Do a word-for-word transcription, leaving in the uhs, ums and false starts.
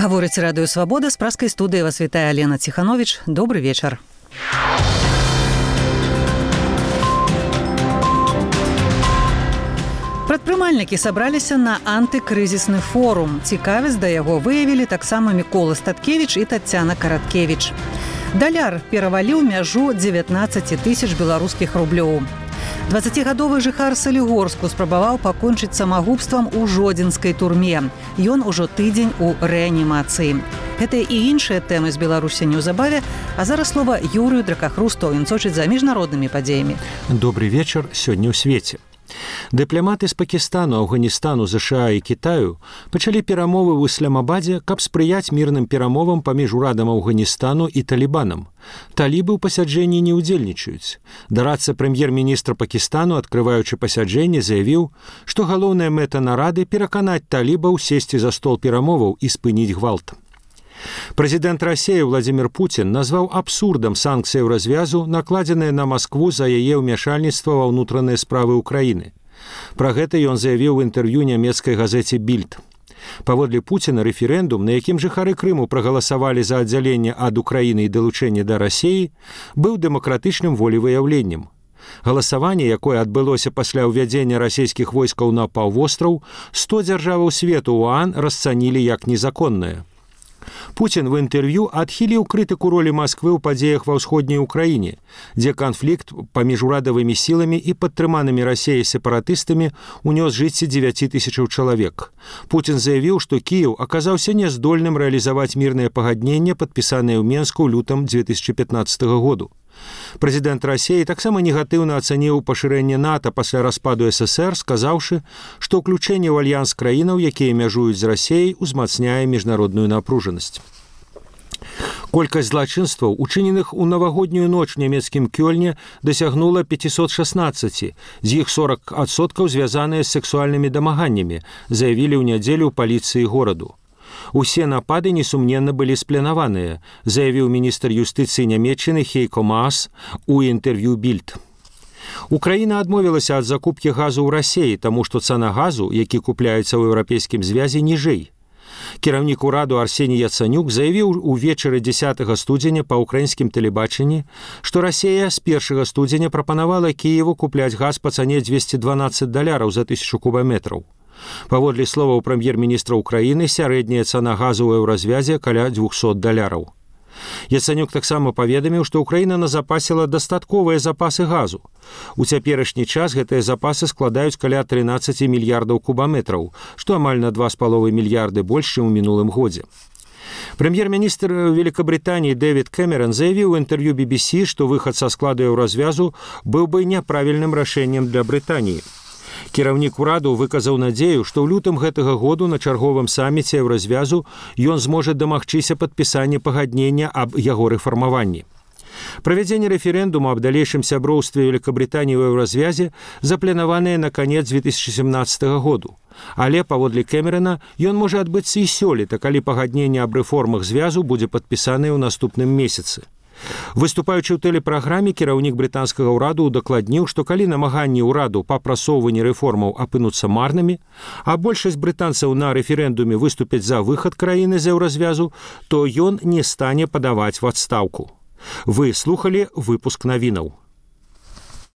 Гаворыць радыё «Свабода», з праскай студыі вас вітае Алена Ціхановіч. Добры вечар. Прадпрымальнікі сабраліся на антыкрызісны форум. Цікавасць да яго выявілі таксама Мікола Статкевіч і Таццяна Караткевіч. Даляр пераваліў мяжу дзевятнаццаць тысяч беларускіх рублёў. дваццацігадовы жыхар Салігорску спрабаваў пакончыць самагубствам у жодзінскай турме. Ён ужо тыдзень у рэанімацыі. Гэтыя і іншыя тэмы з Беларусі неўзабаве, а зараз слова Юрыю Дракахрусту, ён сочыць за міжнароднымі падзеямі. Добрый вечар сёння ў свеце. Дыпламаты з Пакістану, Афганістану, ЗША і Кітаю пачалі перамовы ў Ісламабадзе, каб спрыяць мірным перамовам паміж урадам Афганістану і талібанам. Талібы ў пасяджэнні не ўдзельнічаюць. Дарадца прэм'ер-міністра Пакістану, адкрываючы пасяджэнне, заявіў, што галоўная мэта нарады пераканаць талібаў сесці за стол перамоваў і спыніць гвалт. Прэзідэнт Расіі Владзімір Пуцін назваў абсурдам санкцыяў развязу, накладзеныя на Маскву за яе ўмяшальніцтва ва ўнутраныя справы ўкраіны. Пра гэта ён заявіў у інтэрв'ю нямецкай газеце «Більд». Паводле Пуціна, рэферэндум, на якім жыхары Крыму прагаласавалі за аддзяленне ад Украіны і далучэнне да Расіі, быў дэмакратычным волевыяўленнем. Галасаванне, якое адбылося пасля ўвядзення расійскіх войскаў на паўвостраў, сто дзяржаваў свету ОАН расцанілі як незаконнае. Пуцін в інтэрв'ю адхіліў крытыку ролі Масквы ў падзеях ва ўсходняй Украіне, дзе канфлікт паміж урадавымі сіламі і падтрыманымі Расіяй сепаратыстамі унёс жыцці дзевяці тысячаў чалавек. Пуцін заявіў, што Кіеў аказаўся няздольным рэалізаваць мірнае пагадненне, падпісанае ў Менску ў лютым дзве тысячы пятнаццатага году. Прэзідэнт Расіі таксама негатыўна ацаніў пашырэнне НАТО пасля распаду ССР, сказаўшы, што ўключэнне ў альянс краінаў, якія мяжуюць з Расіяй, узмацняе міжнародную напружанасць. Колькасць злачынстваў, учыненых у навагоднюю ноч у нямецкім Кёльне, дасягнула пятьсот шестнадцать, з іх сорок адсоткаў звязаныя з сексуальнымі дамаганнямі, заявілі ў нядзелю ў паліцыі гораду. Усе напады, несумненна, былі спланаваныя, заявіў міністр юстыцыі Нямецчыны Хейко Маас у інтэрв'ю «Більд». Украіна адмовілася ад закупкі газу ў Расіі, таму што цана газу, які купляецца ў еўрапейскім звязе, ніжэй. Кіраўнік ураду Арсеній Яцанюк заявіў увечары дзесятага студзеня па ўкраінскім тэлебачанні, што Расія з першага студзеня прапанавала Кіеву купляць газ па цане дзвесце дванаццаць даляраў за тысячу кубаметраў. Паводле словаў прэм'ер-міністра Украіны, сярэдняя цана газу ў еўразвязе каля двухсот даляраў. Яцанюк таксама паведаміў, што Украіна назапасіла дастатковыя запасы газу. У цяперашні час гэтыя запасы складаюць каля трынаццаць мільярдаў кубаметраў, што амаль на два з паловай мільярды больш, чым у мінулым годзе. Прэм'ер-міністр Великабрытаніі Дэвід Кэмерон заявіў у інтэрв'ю би би сі, што выхад са складу еўразвязу быў бы няправільным рашэннем для Брытаніі. Кіраўнік ураду выказаў надзею, што ў лютым гэтага году на чарговым саміце еўразвязу ён зможа дамагчыся падпісання пагаднення аб яго рэфармаванні. Правядзенне рэферэндуму аб далейшым сяброўстве Великабрытаніі ў еўразвязе запланаванае на канец дзве тысячы сямнаццатага году. Але, паводле Кэмерона, ён можа адбыцца і сёлета, калі пагадненне аб рэформах звязу будзе падпісанае ў наступным месяцы. Выступаючы ў тэлепраграме, кіраўнік брытанскага ўраду удакладніў, што калі намаганні ўраду па прасоўванні рэформаў апынуцца марнымі, а большасць брытанцаў на рэферэндуме выступяць за выхад краіны з еўразвязу, то ён не стане падаваць в адстаўку. Вы слухалі выпуск навінаў.